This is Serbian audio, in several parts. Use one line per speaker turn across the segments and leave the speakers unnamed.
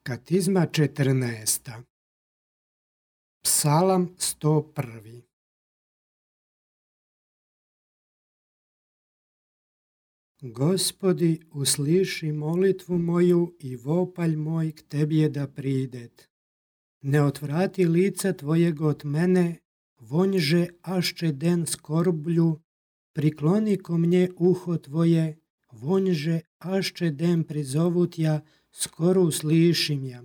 Katizma 14. Psalam 101. Gospodi, usliši molitvu moju i vopalj moj k tebje da pridet. Ne otvrati lica tvojeg od mene, vonjže ašče den skorblju, prikloni ko mnje uho tvoje, vonjže ašče den prizovutja, skoro uslišim ja.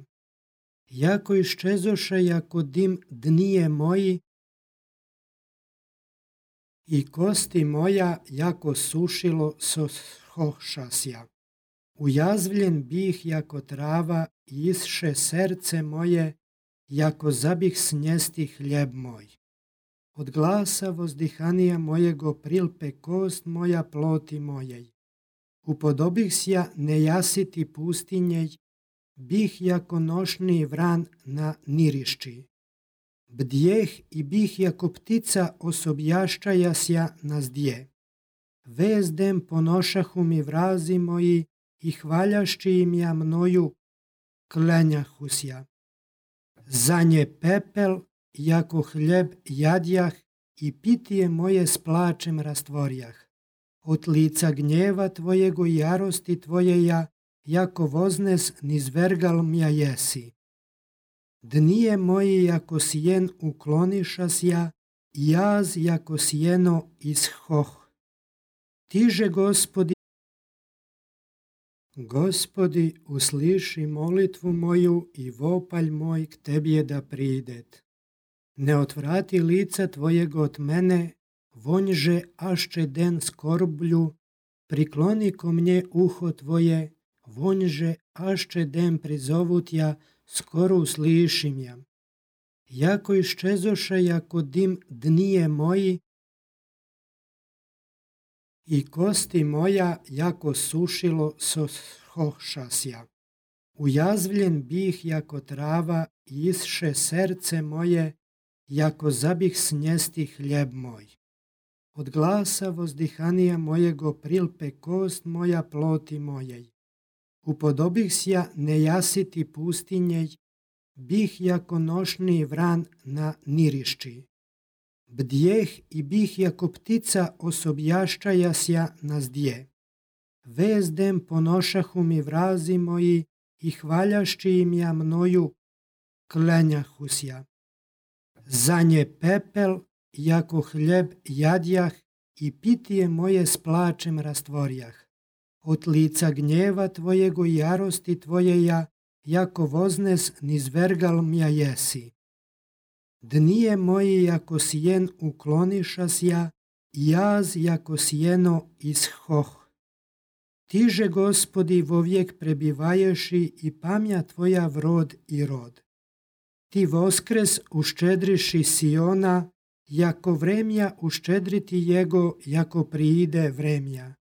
Jako iščezoše jako dim dnije moji i kosti moja jako sušilo sohošasja. Ujazvljen bih jako trava i isše serce moje, jako zabih snjesti hljeb moj. Od glasa vozdihanija mojego prilpe kost moja ploti mojej. Upodobih sja nejasiti pustinjej, bih jako nošni vran na nirišči. Bdjeh i bih jako ptica osobjaščaja sja na zdje. Vezdem ponošahu mi vrazi moji i hvaljašči im ja mnoju klenjahusja. Za nje pepel, jako hljeb jadjah i pitije moje s plačem rastvorjah. Od lica gnjeva tvojego i jarosti tvojeja, jako voznes nizvergal mja jesi. Dnije moji jako sjen uklonišasja, i jaz jako sjeno ishoh. Tiže Gospodi, usliši molitvu moju i vopalj moj k tebje da pridet. Ne otvrati lica tvojeg od mene, vonjže ašče den skorblju, prikloni ko mnje uho tvoje, vonjže ašče den prizovutja, skoro uslišim ja. Jako iščezoše jako dim dnije moji i kosti moja jako sušilo sohošasja. Ujazvljen bih jako trava i isše serce moje, jako zabih snjesti hljeb moj. Od glasa vozdihanija mojego prilpe kost moja ploti mojej. Upodobih sja nejasiti pustinjej, bih jako nošni vran na nirišči. Bdjeh i bih jako ptica osobjaščaja sja na zdje. Vezdem ponošahu mi vrazi moji i hvaljašči im ja mnoju klenjahusja. Za nje pepel, jako hljeb jadjah i pitije moje s plačem rastvorjah. Od lica gnjeva tvojego i jarosti tvojeja, jako voznes nizvergal mja jesi. Dnije moji jako sjen uklonišasja, i jaz jako sjeno ishoh. Tiže Gospodi vovijek prebivaješi i pamja tvoja vrod i rod. Ti voskres uščedriši Siona, jako vremja uščedriti jego, jako priide vremja.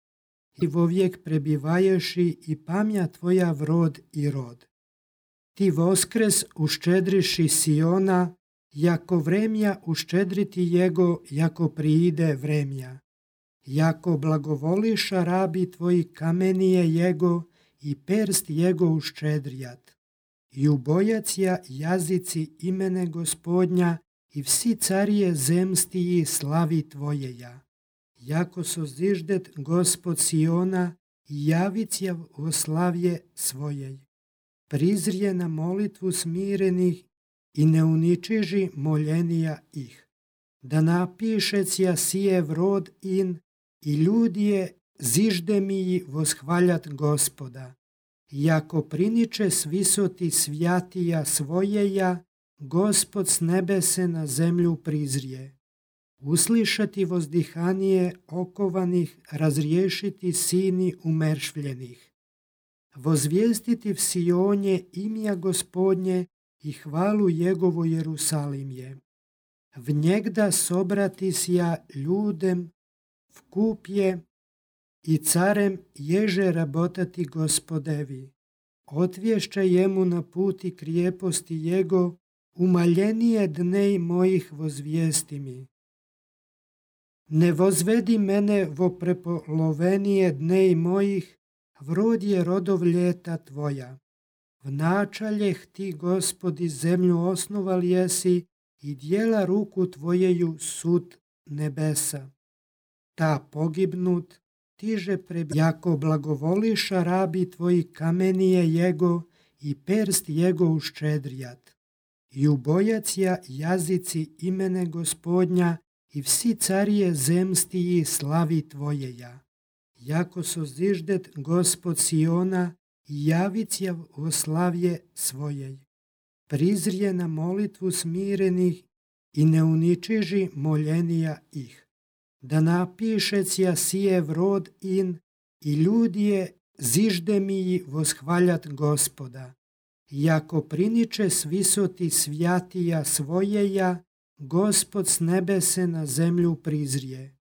Ti vovijek prebivaješi i pamja tvoja vrod i rod. Ti voskres uščedriši Siona, jako vremja uščedriti jego, jako priide vremja. Jako blagovoliša rabi tvoji kamenije jego i perst jego uščedrijat. I ubojacija jazici imene Gospodnja i vsi carije zemstiji slavi tvojeja. Jako soziždet Gospod Siona i javicija o slavje svojej. Prizrije na molitvu smirenih i ne uničiži moljenija ih. Da napišecija sije vrod in i ljudije zižde mi voshvaljat Gospoda. Jako priniče s visoti svjatija svojeja, Gospod s nebese na zemlju prizrije. Uslišati vozdihanije okovanih, razriješiti sini umeršvljenih. Vozvijestiti v Sionje imja Gospodnje i hvalu Jegovu Jerusalimje. V njegda sobrati sja ljudem v kupje i carem ježe rabotati Gospodevi. Otvješća jemu na puti krijeposti jego, umaljenije dnej mojih vozvijesti mi. Ne vozvedi mene vo prepolovenije dnej mojih, vrod je rodov ljeta tvoja. Vnačaljeh ti, Gospodi, zemlju osnoval jesi i dijela ruku tvojeju sud nebesa. Ta pogibnut, tiže jako blagovoliša rabi tvoji kamenije jego i perst jego uščedrijat. I ubojacija jazici imene Gospodnja i vsi carije zemstiji slavi tvojeja. Jako soziždet Gospod Siona i javicija o slavje svojej. Prizrije na molitvu smirenih i ne uničiži moljenija ih. Da napišecija sije vrod in i ljudje zižde mi voshvaljat Gospoda. Jako priniče svisoti svjatija svojeja, Gospod s nebese na zemlju prizrije.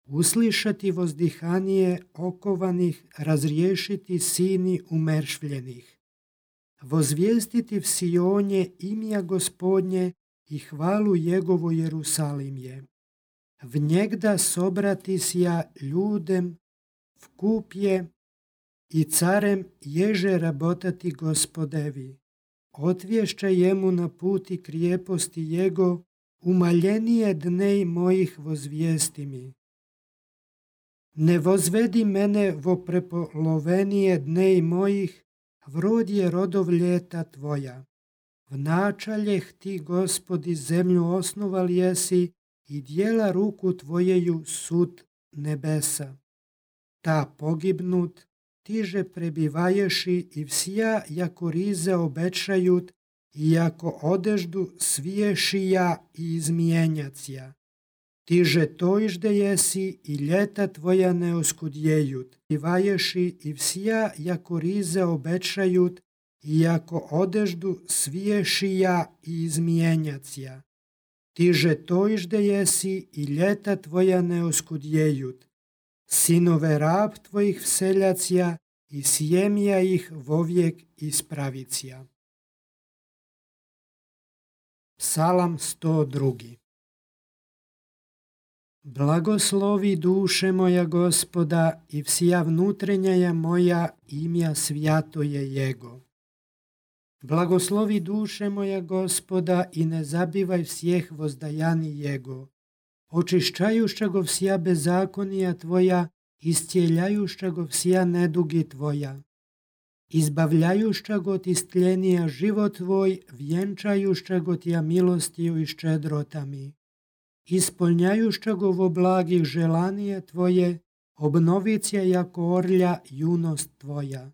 Uslišati vozdihanije okovanih, razriješiti sini umeršvljenih. Vozvijestiti v Sionje imja Gospodnje i hvalu Jegovu Jerusalimje. V njegda sobratisja ljudem v kupje i carem ježe rabotati Gospodevi. Otvješća jemu na puti krijeposti jego, umaljenije dnej mojih vozvijesti mi. Ne vozvedi mene vo prepolovenije dnej mojih, vrod je rodov ljeta tvoja. Vnačaljeh ti, Gospodi, zemlju osnoval jesi i dijela ruku tvojeju sud nebesa. Ta pogibnut, tiže prebivaješi i vsija jako rize obečajut i jako odeždu sviješija i izmijenjacija. Tiže tojžde jesi i ljeta tvoja ne oskudjejut. Prebivaješi i vsija jako rize obečajut i jako odeždu sviješija i izmijenjacija. Tiže tojžde jesi i ljeta tvoja ne oskudjejut. Sinove rab tvojih vseljacija i sjemija ih vovijek ispravicija. Psalam 102. Blagoslovi duše moja Gospoda i vsija vnutrenjaja moja imja svjatoje Jego. Blagoslovi duše moja Gospoda i ne zabivaj vsjeh vozdajani Jego. Očišćajušća go vsija bezakonija tvoja, iscijeljajušća go vsija nedugi tvoja. Izbavljajušća go ti stljenija život tvoj, vjenčajušća go tija milostiju i ščedrotami. Ispolnjajušća go vo blagih želanije tvoje, obnovicija jako orlja junost tvoja.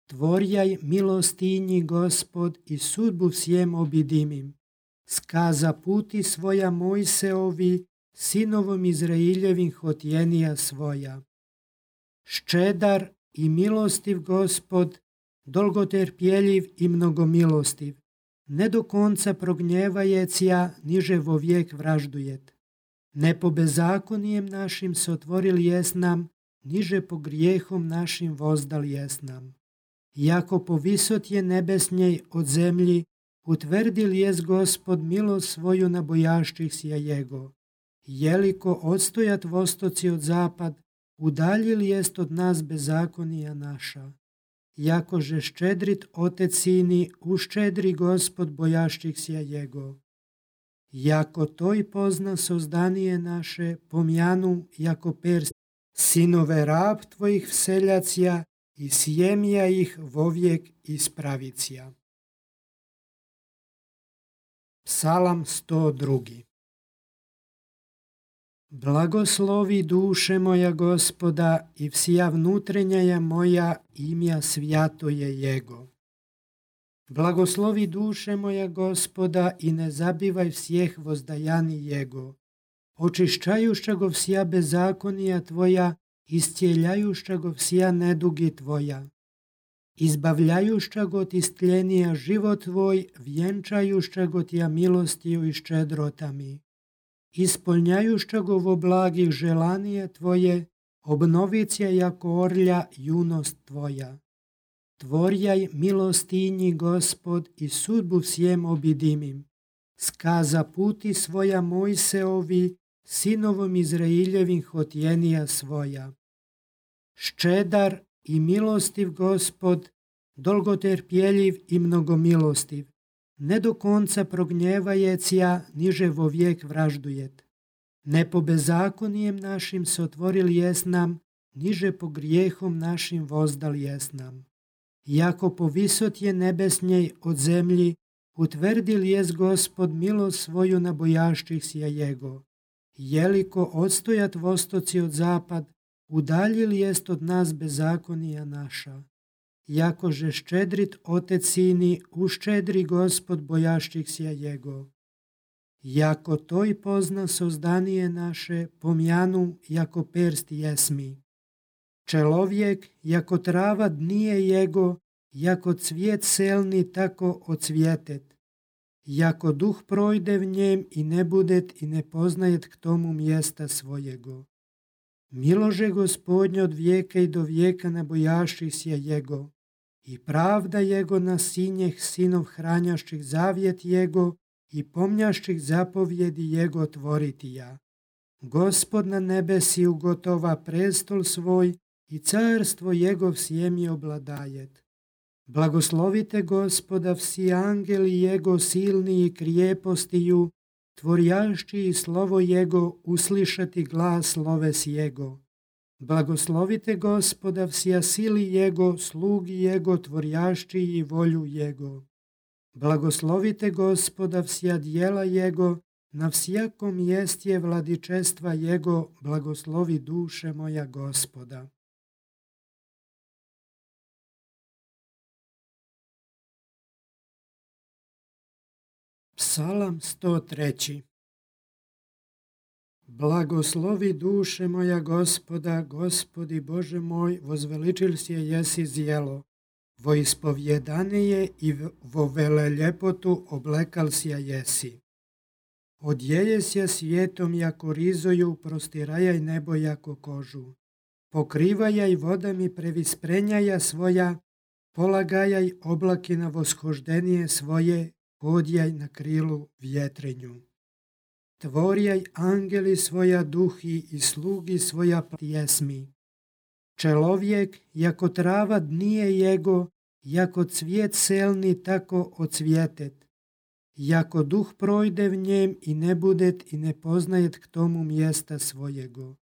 Tvorjaj milostinji, Gospod, i sudbu vsjem obidimim. Skaza puti svoja Mojseovi, sinovom Izraeljevim hotjenija svoja. Ščedar i milostiv Gospod, dolgoterpjeljiv i mnogomilostiv. Ne do konca prognjevajecija, niže vovijek vraždujet. Ne po bezakonijem našim se otvorili jesnam, niže po grijehom našim vozdal jesnam. Jako povisot je nebesnjej od zemlji, utvrdil jest Gospod milost svoju na bojašćih sja Jego. Jeliko odstojat vostoci od zapad, udaljil jest od nas bezakonija naša. Jakože ščedrit otec sini, uščedri Gospod bojašćih sja Jego. Jako toj pozna sozdanije naše, pomjanu jako perst, sinove rab tvojih vseljacija i sjemija ih vovijek ispravicija. Psalam 102. Blagoslovi duše moja Gospoda i vsija vnutrenjaja moja imja svjatoje Jego. Blagoslovi duše moja Gospoda i ne zabivaj vsjeh vozdajani Jego. Očišćajušća go vsija bezakonija tvoja, iscijeljajušća go vsija nedugi tvoja. Izbavljajušća go ti stljenija život tvoj, vjenčajušća go tija milostiju i ščedrotami. Ispolnjajušća go vo blagih želanije tvoje, obnovicija jako orlja junost tvoja. Tvorjaj milostinji, Gospod, i sudbu vsjem obidimim. Skaza puti svoja Mojseovi, sinovom Izraeljevim hotjenija svoja. Ščedar i milostiv Gospod, dolgoterpjeljiv i mnogomilostiv, ne do konca prognjevajecija, niže vo vijek vraždujet. Ne po bezakonijem našim se otvorili jes nam, niže po grijehom našim vozdal jes nam. Iako po visotje nebesnjej od zemlji, utvrdil jes Gospod milost svoju na bojašćih sja Jego. Jeliko odstojat vostoci od zapad, udaljili jest od nas bezakonija naša. Jakože ščedrit Otec sini, uščedri Gospod bojašćih sja Jego. Jako toj pozna sozdanije naše, pomjanu, jako perst jesmi. Čelovjek, jako trava dnije Jego, jako cvijet selni, tako ocvjetet. Jako duh projde v njem i ne budet i ne poznajet k tomu mjesta svojego. Milože Gospodnje od vijeka i do vijeka na bojašćih sja Jego. I pravda Jego na sinjeh sinov hranjašćih zavjet Jego i pomnjašćih zapovjedi Jego tvoriti ja. Gospod na nebesi ugotova prestol svoj i carstvo Jegov sjemi obladajet. Blagoslovite Gospoda vsi angeli Jego silni i krijepostiju, tvorjašći i slovo Jego uslišati glas sloves Jego. Blagoslovite Gospoda vsija sili Jego, slugi Jego, tvorjašći i volju Jego. Blagoslovite Gospoda vsija djela Jego, na vsjakom mjestje vladičestva Jego, blagoslovi duše moja Gospoda. Psalam 103. Blagoslovi duše moja Gospoda, Gospodi Bože moj, vozveličil si je jesi zjelo, vo ispovjedane je i vo vele ljepotu oblekal si je jesi. Odjeje se svijetom jako rizoju, prostirajaj nebo jako kožu. Pokrivajaj vodami previsprenjaja svoja, polagajaj oblaki na voshoždenije svoje, hodjaj na krilu vjetrenju. Tvorjaj angeli svoja duhi i slugi svoja pjesmi. Čelovjek, jako trava dnije Jego, jako cvijet selni, tako ocvjetet. Jako duh projde v njem i ne budet i ne poznajet k tomu mjesta svojego.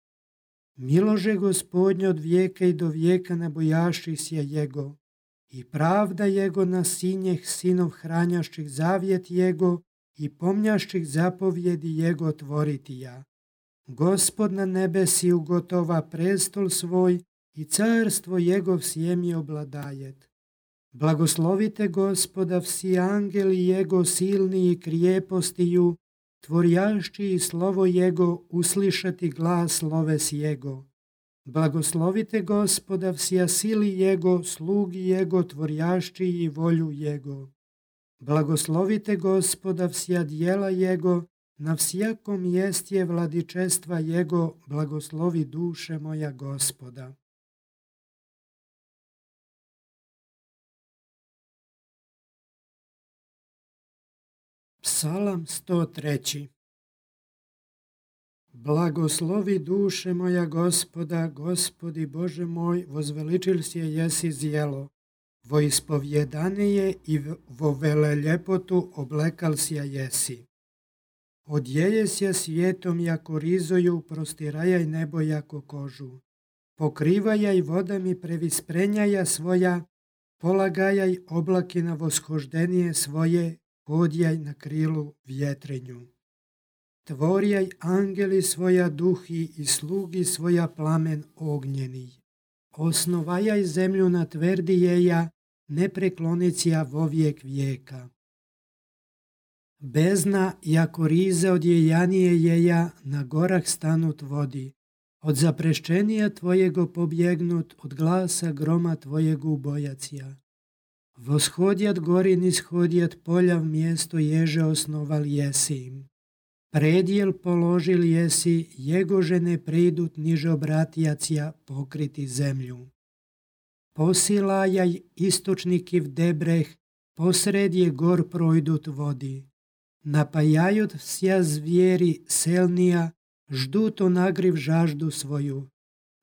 Milože Gospodnje od vijeka i do vijeka na bojašćih sja Jego. I pravda Jego na sinjeh sinov hranjašćih zavjet Jego i pomnjašćih zapovjedi Jego tvoriti ja. Gospod na nebesi ugotova prestol svoj i carstvo Jegov sjemi obladajet. Blagoslovite Gospoda vsi angeli Jego silni i krijepostiju, tvorjašći i slovo Jego uslišati glas sloves Jego. Blagoslovite Gospoda vsija sili Jego, slugi Jego, tvorjašći i volju Jego. Blagoslovite Gospoda vsija djela Jego, na vsjakom mjestje vladičestva Jego, blagoslovi duše moja Gospoda. Psalam 103. Blagoslovi duše moja Gospoda, Gospodi Bože moj, vozveličil si je jesi zjelo, vo ispovjedane je i vo vele ljepotu oblekal si je jesi. Odjeje se svijetom jako rizoju, prostirajaj nebo jako kožu. Pokrivajaj vodami previsprenjaja svoja, polagajaj oblaki na voshoždenije svoje, hodjaj na krilu vjetrenju. Tvorjaj angeli svoja duhi i slugi svoja plamen ognjeni. Osnovajaj zemlju na tvrdi jeja, ne preklonicija vo vijek vijeka. Bezna jako rize od jejanije jeja na gorah stanut vodi, od zapreščenija tvojego pobjegnut, od glasa groma tvojegu bojacija. Voshodjat gori nishodjat polja v mjesto ježe osnoval jesi im. Predjel položil jesi, jegože ne pridut niže obratjacija pokriti zemlju. Posilajaj istočniki v debreh, posred je gor projdut vodi. Napajajut vsja zvijeri selnija, ždut onagriv žaždu svoju.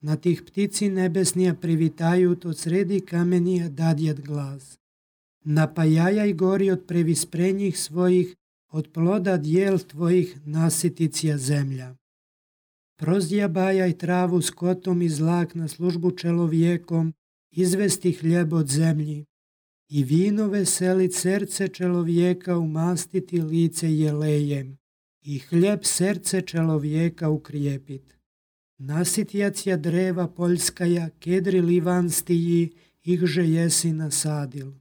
Na tih ptici nebesnija privitajut, od sredi kamenija dadjet glas. Napajajaj gori od previsprenjih svojih, od ploda dijel tvojih nasiticija zemlja. Prozdjabajaj travu skotom i zlak na službu čelovjekom, izvesti hljeb od zemlji. I vino veselit srce čelovjeka, umastiti lice jelejem. I hljeb srce čelovjeka ukrijepit. Nasitjacija dreva poljskaja, kedri livanstiji, ihže jesi nasadil.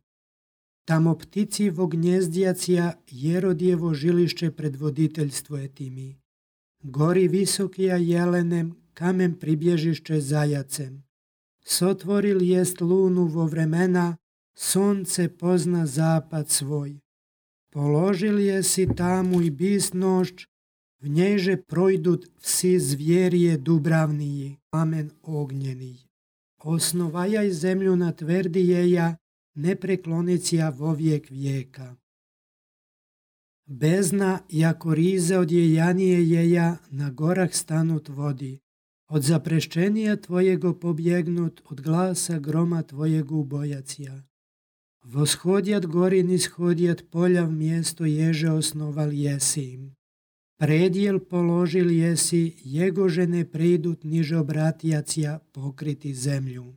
Tamo ptici vognjezdjacija, Jerodjevo žilišće predvoditeljstvo je timi. Gori visokija jelenem, kamen pribježišće zajacem. Sotvoril jest lunu vo vremena, sonce pozna zapad svoj. Položil jesi tamu i bis nošć, v njejže projdut vsi zvjerije dubravniji, kamen ognjenij. Osnovajaj zemlju na tvrdi jeja, ne preklonicija vovijek vijeka. Bezna, jako rize od jejanije jeja, na gorah stanut vodi. Od zapreščenija tvojego pobjegnut, od glasa groma tvojegu ubojacija. Voshodjat gori nishodjat polja v mjesto ježe osnoval jesi im. Predjel položil jesi, jegože ne pridut niže obratjacija pokriti zemlju.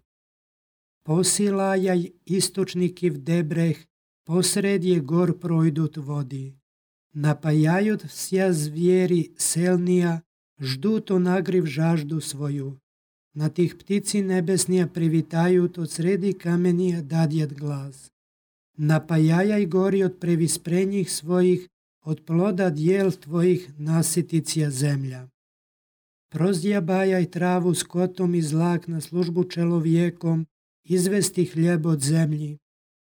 Posilajaj istočniki v debreh, posred je gor projdut vodi. Napajajut vsja zvijeri selnija, ždut onagriv žaždu svoju. Na tih ptici nebesnija privitajut, od sredi kamenija dadjet glas. Napajajaj gori od previsprenjih svojih, od ploda dijel tvojih nasiticija zemlja. Prozdjabajaj travu skotom i zlak na službu čelovjekom, izvesti hljeb od zemlji.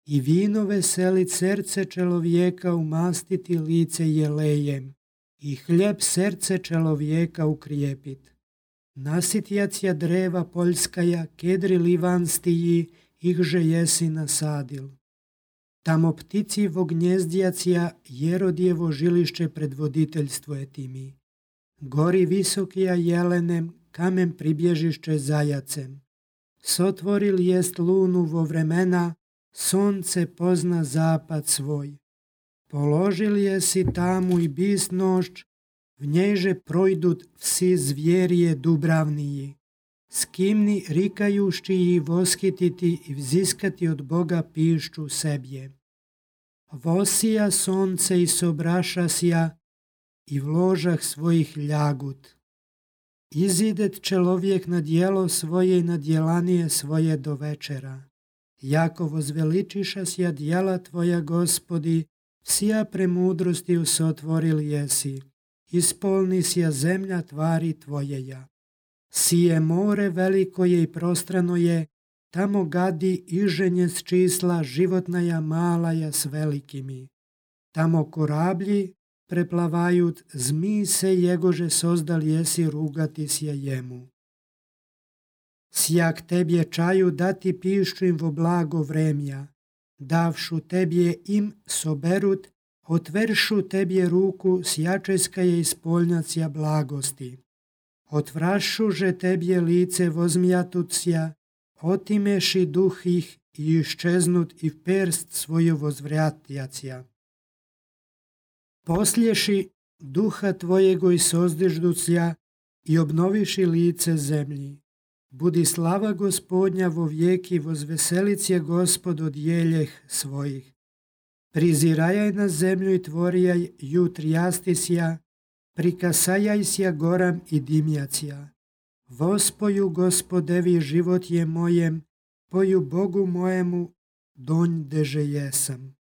I vino veselit srce čelovjeka, umastiti lice jelejem. I hljeb srce čelovjeka ukrijepit. Nasitjacija dreva poljskaja, kedri livanstiji, ihže jesi nasadil. Tamo ptici vognjezdjacija, Jerodjevo žilišće predvoditeljstvo je timi. Gori visokija jelenem, kamen pribježišće zajacem. Sotvoril jest lunu vo vremena, sonce pozna zapad svoj. Položil jesi tamu i bis nošć, v njejže projdut vsi zvjerije dubravniji. Skimni rikajušći i voskititi i vziskati od Boga pišću sebje. Vosija sonce i sobrašasja i v ložah svojih ljagut. Izidet čelovjek na dijelo svoje i na djelanije svoje do večera. Jako vozveličišasja djela tvoja, Gospodi, vsija premudrosti usotvoril jesi. Ispolni sja zemlja tvari tvojeja. Sije more veliko je i prostrano je, tamo gadi iženje s čísla, životnaja malaja s velikimi. Tamo korablji preplavajut, zmi se jegože sozdal jesi, rugati sje jemu. Sjak tebje čaju dati pišću im vo blago vremja, davšu tebje im soberut, otveršu tebje ruku, sjačeska je ispolnjacija blagosti. Otvrašuže tebje lice vozmjatucija, otimeši duh ih i iščeznut i v perst svoju vozvratjacija. Poslješi duha tvojego i sozdižducija i obnoviši lice zemlji. Budi slava Gospodnja vo vijeki, vozveselit je Gospod od jeljeh svojih. Prizirajaj na zemlju i tvorijaj jutrjastisja, prikasajaj sja goram i dimjacija. Vospoju Gospodevi život je mojem, poju Bogu mojemu, donj deže jesam.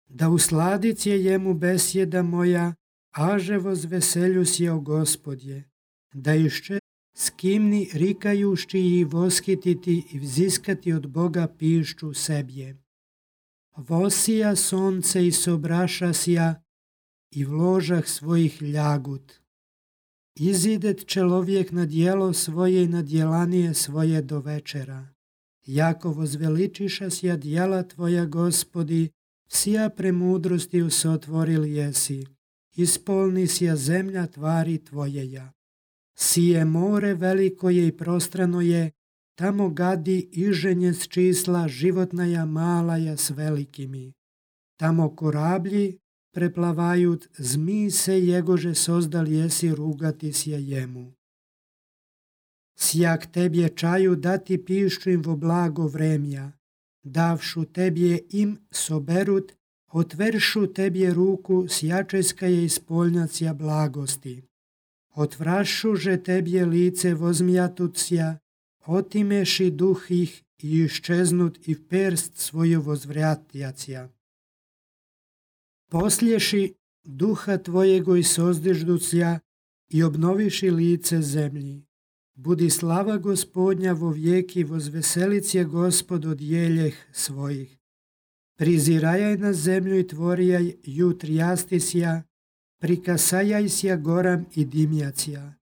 Da usladic je jemu besjeda moja, aže vozveseljus je o Gospodje. Da išće skimni rikajušći i voskititi i vziskati od Boga pišću sebje. Vosija sonce i sobrašasja i v ložah svojih ljagut. Izidet čelovjek na dijelo svoje i na djelanije svoje do večera. Jako vozveličišasja djela tvoja, Gospodi, vsija premudrosti usotvoril jesi. Ispolni sja zemlja tvari tvojeja. Sije more veliko je i prostrano je, tamo gadi iženje s čísla, životnaja malaja s velikimi. Tamo korablji preplavajut, zmi se jegože sozdal jesi, rugati sje jemu. Sjak tebje čaju dati pišću im vo blago vremja, davšu tebje im soberut, otveršu tebje ruku, sjačeska je ispolnjacija blagosti. Otvrašuže tebje lice vozmjatucija, otimeši duh ih i iščeznut i perst svoju vozvratjacija. Poslješi duha tvojego i sozdižducija i obnoviši lice zemlji. Budi slava Gospodnja vo vijeki, vozveselic je Gospod od jeljeh svojih. Prizirajaj na zemlju i tvorijaj ju trijastisja, prikasajaj sja goram i dimjacija.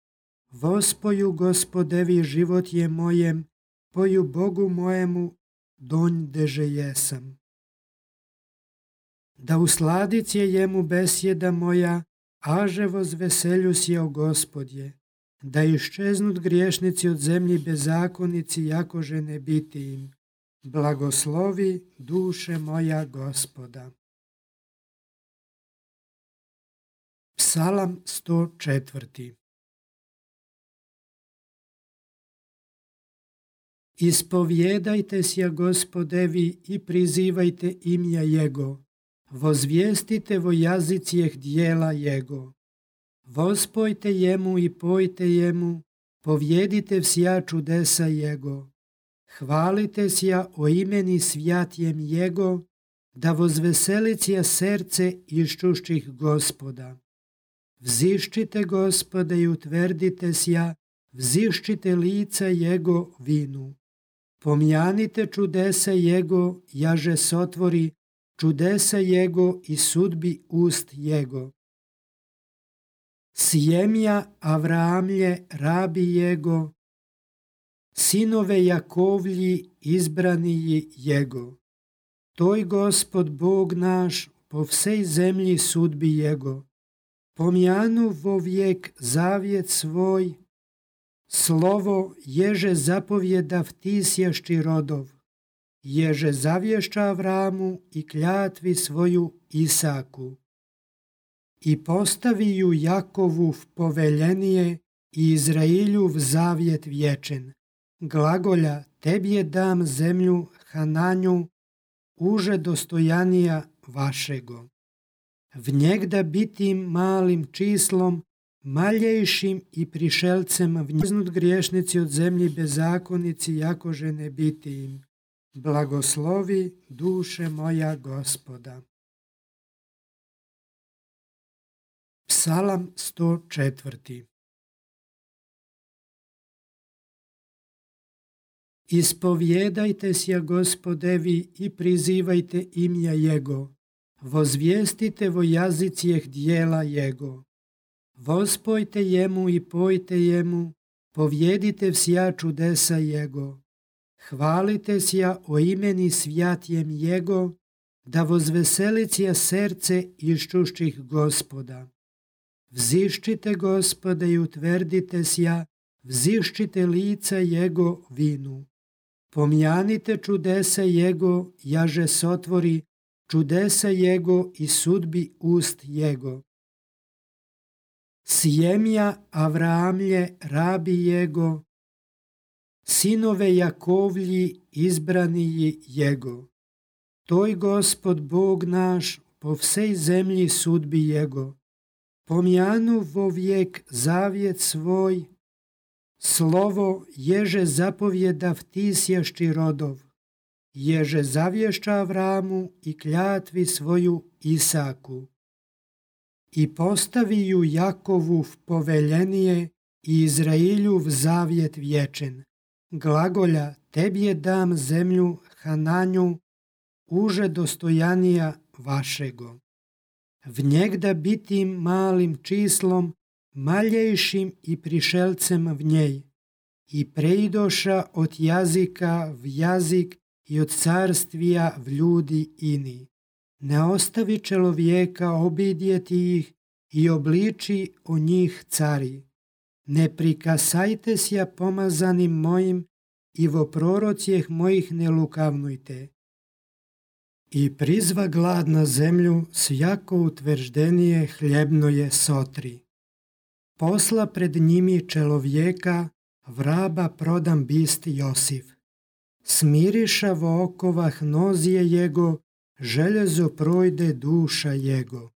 Vospoju Gospodevi život je mojem, poju Bogu mojemu, donj deže jesam. Da usladic je jemu besjeda moja, aže vozveselju sje o Gospodje. Da iščeznut griješnici od zemlji bezakonici, jakože ne biti im. Blagoslovi duše moja Gospoda. Psalam 104. Ispovjedajte sja Gospodevi i prizivajte imja Jego. Vozvijestite vo jazicijeh dijela Jego. Vospojte jemu i pojte jemu, povjedite vsja čudesa Jego. Hvalite sja o imeni svjatjem Jego, da vozveselicija srce iščušćih Gospoda. Vziščite Gospode i utvrdite sja, vziščite lica Jego vinu. Pomjanite čudesa Jego, jaže sotvori, čudesa Jego i sudbi ust Jego. Sjemja Avraamlje, rabi Jego, sinove Jakovlji, izbraniji Jego. Toj Gospod Bog naš, po vsej zemlji sudbi Jego. Pomjanu vo vijek zavjet svoj, slovo ježe zapovjedav ti sješći rodov, ježe zavješća Avramu i kljatvi svoju Isaku. I postavi ju Jakovu v poveljenije i Izrailju v zavjet vječen. Glagolja, tebje dam zemlju Hananju, uže dostojanija vašego. V njegda bitim malim čislom, maljejšim i prišelcem vnjeznut griješnici od zemlji bezakonici, jakože ne biti im. Blagoslovi duše moja Gospoda. Psalam 104. Ispovjedajte sja Gospodevi i prizivajte imja Jego. Vozvijestite vo jazicijeh dijela Jego. Vospojte jemu i pojte jemu, povjedite vsja čudesa Jego. Hvalite sja o imeni svjatjem Jego, da vozveselicija srce iščušćih Gospoda. Vziščite Gospode i utvrdite sja, vziščite lica Jego vinu. Pomjanite čudesa Jego, jaže sotvori, čudesa Jego i sudbi ust Jego. Sjemja Avraamlje, rabi Jego, sinove Jakovlji, izbraniji Jego. Toj Gospod Bog naš, po vsej zemlji sudbi Jego. Pomjanu vo vijek zavjet svoj, slovo ježe zapovjedav ti sješći rodov, ježe zavješća Avramu i kljatvi svoju Isaku. I postavi ju Jakovu v poveljenije i Izrailju v zavjet vječen. Glagolja, tebje dam zemlju Hananju, uže dostojanija vašego. V njegda bitim malim čislom, maljejšim i prišelcem v njej. I preidoša od jazika v jazik i od carstvija v ljudi ini. Ne ostavi čelovjeka obidjeti ih i obliči o njih cari. Ne prikasajte sja pomazanim mojim i vo prorocijeh mojih ne lukavnujte. I prizva glad na zemlju, svjako utvrđenije hljebno je sotri. Posla pred njimi čelovjeka, vraba prodam bist Josif. Smiriša vo okovah nozije jego, željezo projde duša jego.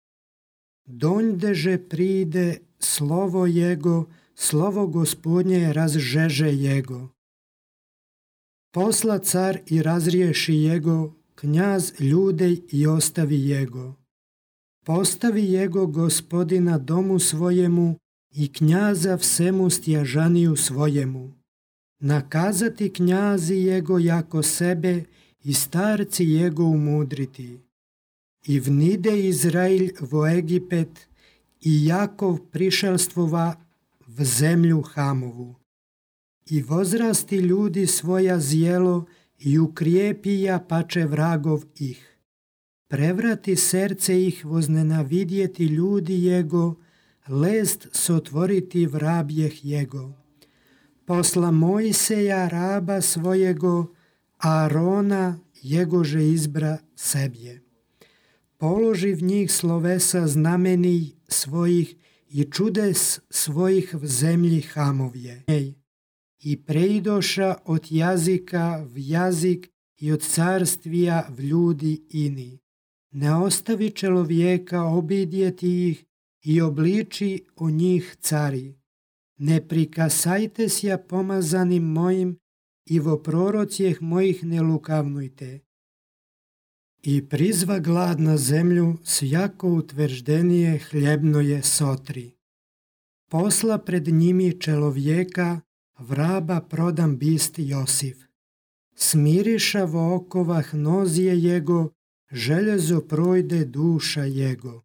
Donjdeže pride slovo jego, slovo Gospodnje razžeže jego. Posla car i razriješi jego, knjaz ljudej i ostavi jego. Postavi jego Gospodina domu svojemu i knjaza всему stjažaniju svojemu. Nakazati knjazi jego jako sebe i starci jego umudriti. I vnide Izrail vo Egipet i Jakov prišelstvova v zemlju Hamovu. I vozrasti ljudi svoja zjelo i ukrijepija pače vragov ih. Prevrati srce ih voznenavidjeti ljudi jego, lest sotvoriti vrabjeh jego. Posla Mojseja raba svojego, Arona jegože izbra sebje. Položi v njih slovesa znamenij svojih i čudes svojih v zemlji Hamovje. I preidoša od jazika v jazik i od carstvija v ljudi ini. Ne ostavi čelovjeka obidjeti ih i obliči o njih cari. Ne prikasajte sja pomazanim mojim i vo prorocijeh mojih ne lukavnujte. I prizva glad na zemlju, svjako utvrđenije hljebno je sotri. Posla pred njimi čelovjeka, vraba prodam bist Josif. Smiriša vo okovah nozije jego, željezo projde duša jego.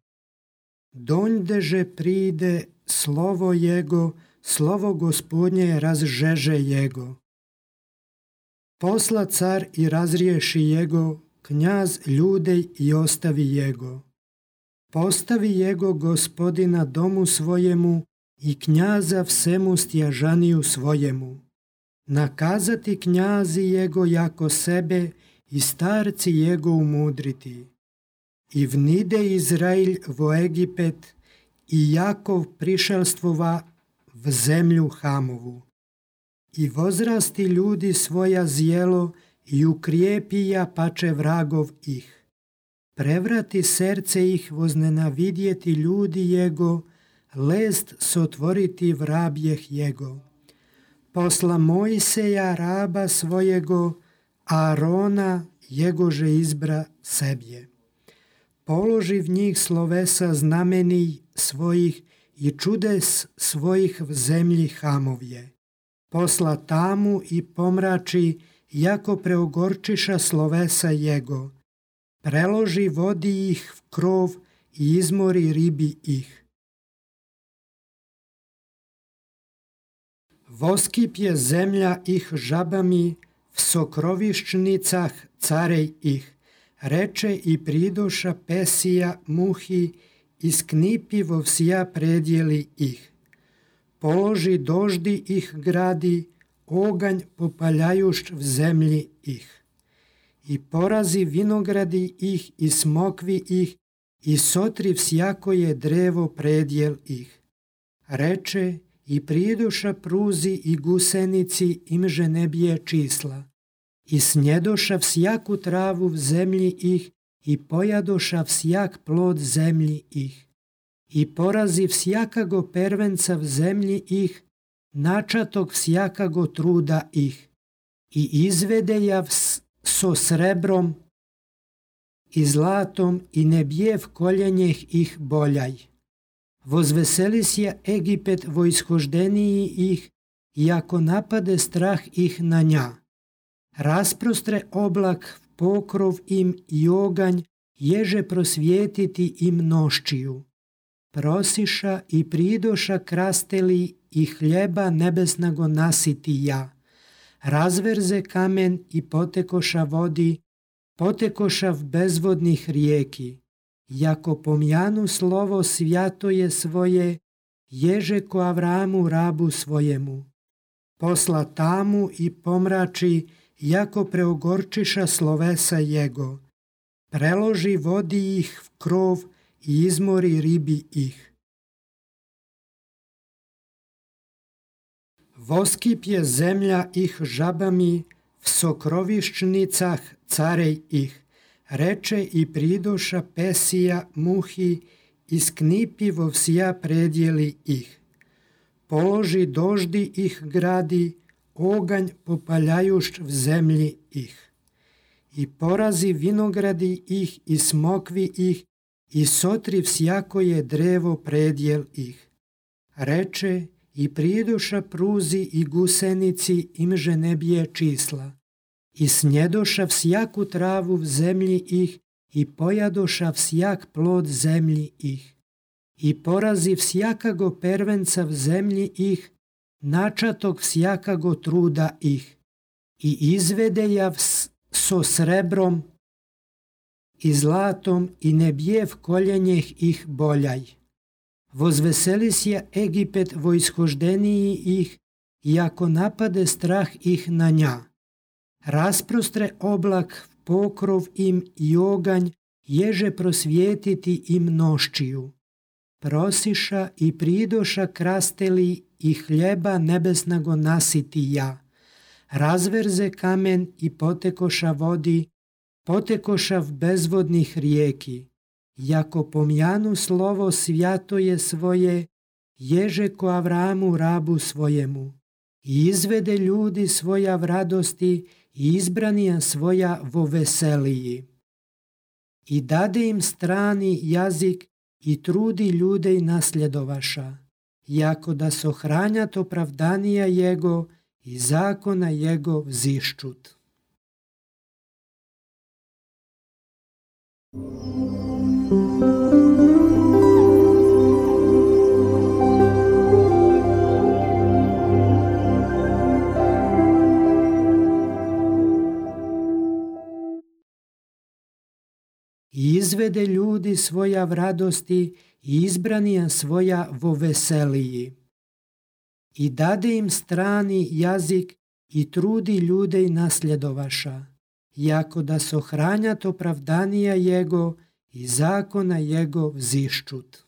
Donjdeže pride slovo jego, slovo Gospodnje razžeže jego. Posla car i razriješi jego, knjaz ljudej i ostavi jego. Postavi jego Gospodina domu svojemu i knjaza всему stjažaniju svojemu. Nakazati knjazi jego jako sebe i starci jego umudriti. I vnide Izrail vo Egipet i Jakov prišelstvova v zemlju Hamovu. I vozrasti ljudi svoja zjelo i ukrijepija pače vragov ih. Prevrati srce ih voznenavidjeti ljudi jego, lest sotvoriti vrabjeh jego. Posla Mojseja raba svojego, Arona jegože izbra sebje. Položi v njih slovesa znamenij svojih i čudes svojih v zemlji Hamovje. Posla tamu i pomrači, jako preogorčiša slovesa jego. Preloži vodi ih v krov i izmori ribi ih. Voskipje zemlja ih žabami, v sokroviščnicah carej ih. Reče i pridoša pesija muhi, isknipi vo vsja predjeli ih. Položi doždi ih gradi, oganj popaljajušč v zemlji ih. I porazi vinogradi ih i smokvi ih i sotri vsjakoje drevo predjel ih. Reče i pridoša pruzi i gusenici imže ne bije čísla. I snjedoša vsjaku travu v zemlji ih i pojadoša vsjak plod zemlji ih. I porazi vsjakago pervenca v zemlji ih, načatog vsjakago truda ih. I izvede ja so srebrom i zlatom i ne bije v koljenjeh ih boljaj. Vozveseli sja Egipet vo ishoždeniji ih, i ako napade strah ih na nja. Rasprostre oblak v pokrov im i oganj, ježe prosvijetiti im noščiju. Prosiša i pridoša krasteli i hljeba nebesnago nasiti ja. Razverze kamen i potekoša vodi, potekoša v bezvodnih rijeki. Jako pomjanu slovo svjatoje svoje ježe ko Avramu rabu svojemu. Posla tamu i pomrači, jako preogorčiša slovesa jego. Preloži vodi ih v krov i izmori ribi ih. Voskipje zemlja ih žabami, v sokroviščnicah carej ih. Reče i pridoša pesija muhi, isknipi vo vsija predjeli ih. Položi doždi ih gradi, oganj popaljajušć v zemlji ih. I porazi vinogradi ih i smokvi ih, i sotri vsjakoje drevo predjel ih. Reče i pridoša pruzi i gusenici imže ne bije čísla. I snjedoša vsjaku travu v zemlji ih i pojadoša vsjak plod zemlji ih. I porazi vsjakago pervenca v zemlji ih, načatog vsjakago truda ih. I izvede ja so srebrom i zlatom i ne bije v koljenjeh ih boljaj. Vozveseli se Egipet vo ishoždeniji ih, i ako napade strah ih na nja. Rasprostre oblak v pokrov im i oganj, ježe prosvijetiti im noščiju. Prosiša i pridoša krasteli i hljeba nebesnago nasiti ja. Razverze kamen i potekoša vodi, potekoša v bezvodnih rijeki. Jako pomjanu slovo svjatoje svoje, ježe ko Avramu rabu svojemu. I izvede ljudi svoja v radosti i izbranija svoja vo veseliji. I dade im strani jazik i trudi ljudej nasljedovaša, jako da sohranjat opravdanija jego i zakona jego vziščut. I izvede ljudi svoja v radosti i izbranija svoja vo veseliji. I dade im strani jazik i trudi ljudej nasljedovaša, jako da sohranjat opravdanija jego i zakona jego vziščut.